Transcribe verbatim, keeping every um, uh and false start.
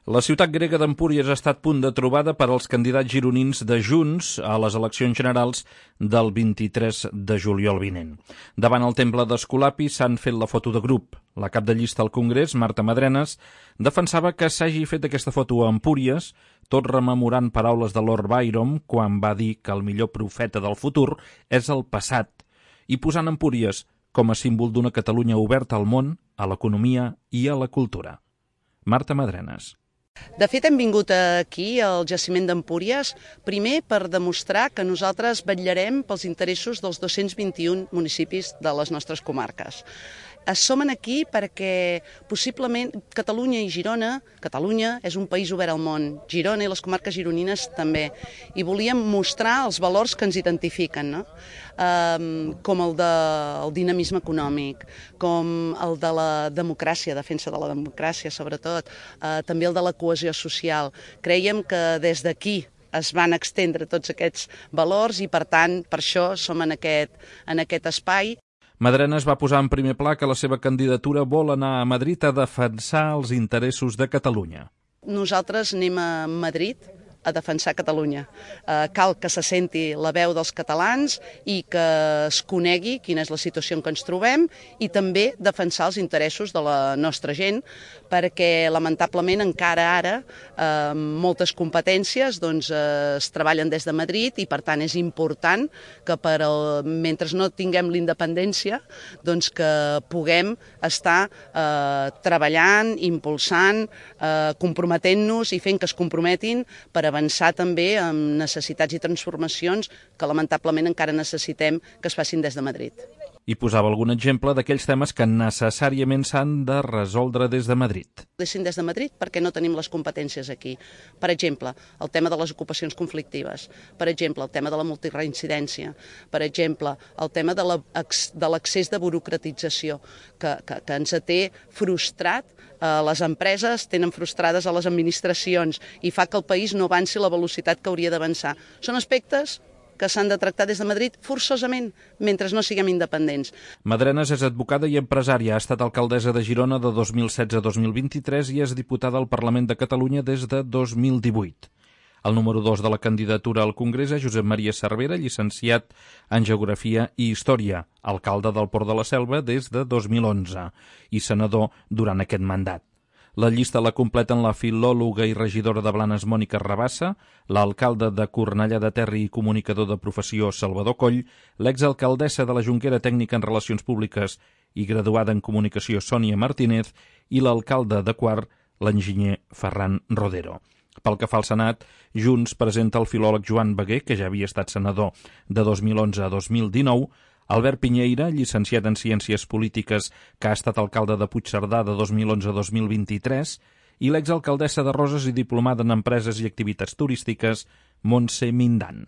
La ciutat grega d'Empúries ha estat punt de trobada per als candidats gironins de Junts a les eleccions generals del vint-i-tres de juliol vinent. Davant el temple d'Esculapi s'han fet la foto de grup. La cap de llista al Congrés, Marta Madrenas, defensava que s'hagi fet aquesta foto a Empúries, tot rememorant paraules de Lord Byron quan va dir que el millor profeta del futur és el passat, i posant Empúries com a símbol d'una Catalunya oberta al món, a l'economia i a la cultura. Marta Madrenas. De fet, hem vingut aquí, al jaciment d'Empúries, primer per demostrar que nosaltres vetllarem pels interessos dels dos-cents vint-i-un municipis de les nostres comarques. Som aquí perquè possiblement Catalunya i Girona, Catalunya és un país obert al món, Girona i les comarques gironines també, i volíem mostrar els valors que ens identifiquen, no? Um, com el del dinamisme econòmic, com el de la democràcia, defensa de la democràcia sobretot, uh, també el de la cohesió social. Creiem que des d'aquí es van extendre tots aquests valors i per tant per això som en aquest, en aquest espai. Madrenas va posar en primer pla que la seva candidatura vol anar a Madrid a defensar els interessos de Catalunya. Nosaltres anem a Madrid a defensar Catalunya. Eh, cal que se senti la veu dels catalans i que es conegui quina és la situació en què ens trobem i també defensar els interessos de la nostra gent, perquè lamentablement encara ara eh, moltes competències doncs, eh, es treballen des de Madrid i per tant és important que per el, mentre no tinguem l'independència doncs que puguem estar eh, treballant, impulsant, eh, comprometent-nos i fent que es comprometin per avançar també amb necessitats i transformacions que lamentablement encara necessitem que es facin des de Madrid. I posava algun exemple d'aquells temes que necessàriament s'han de resoldre des de Madrid. Dessin des de Madrid perquè no tenim les competències aquí. Per exemple, el tema de les ocupacions conflictives, per exemple, el tema de la multireincidència, per exemple, el tema de l'accés de burocratització, que, que, que ens té frustrat, eh, les empreses tenen frustrades a les administracions i fa que el país no avanci a la velocitat que hauria d'avançar. Són aspectes que s'han de tractar des de Madrid forçosament, mentre no siguem independents. Madrenas és advocada i empresària, ha estat alcaldessa de Girona de dos mil setze a dos mil vint-i-tres i és diputada al Parlament de Catalunya des de dos mil divuit. El número dos de la candidatura al Congrés és Josep Maria Cervera, llicenciat en Geografia i Història, alcalde del Port de la Selva des de dos mil onze i senador durant aquest mandat. La llista la completen la filòloga i regidora de Blanes Mònica Rabassa, l'alcalde de Cornellà de Terri i comunicador de professió Salvador Coll, l'exalcaldessa de la Jonquera tècnica en Relacions Públiques i graduada en Comunicació Sònia Martínez i l'alcalde de Quart, l'enginyer Ferran Rodero. Pel que fa al Senat, Junts presenta el filòleg Joan Beguer, que ja havia estat senador de dos mil onze a dos mil dinou, Albert Piñeira, llicenciat en Ciències Polítiques, que ha estat alcalde de Puigcerdà de dos mil onze a dos mil vint-i-tres, i l'exalcaldessa de Roses i diplomada en Empreses i Activitats Turístiques, Montse Mindan.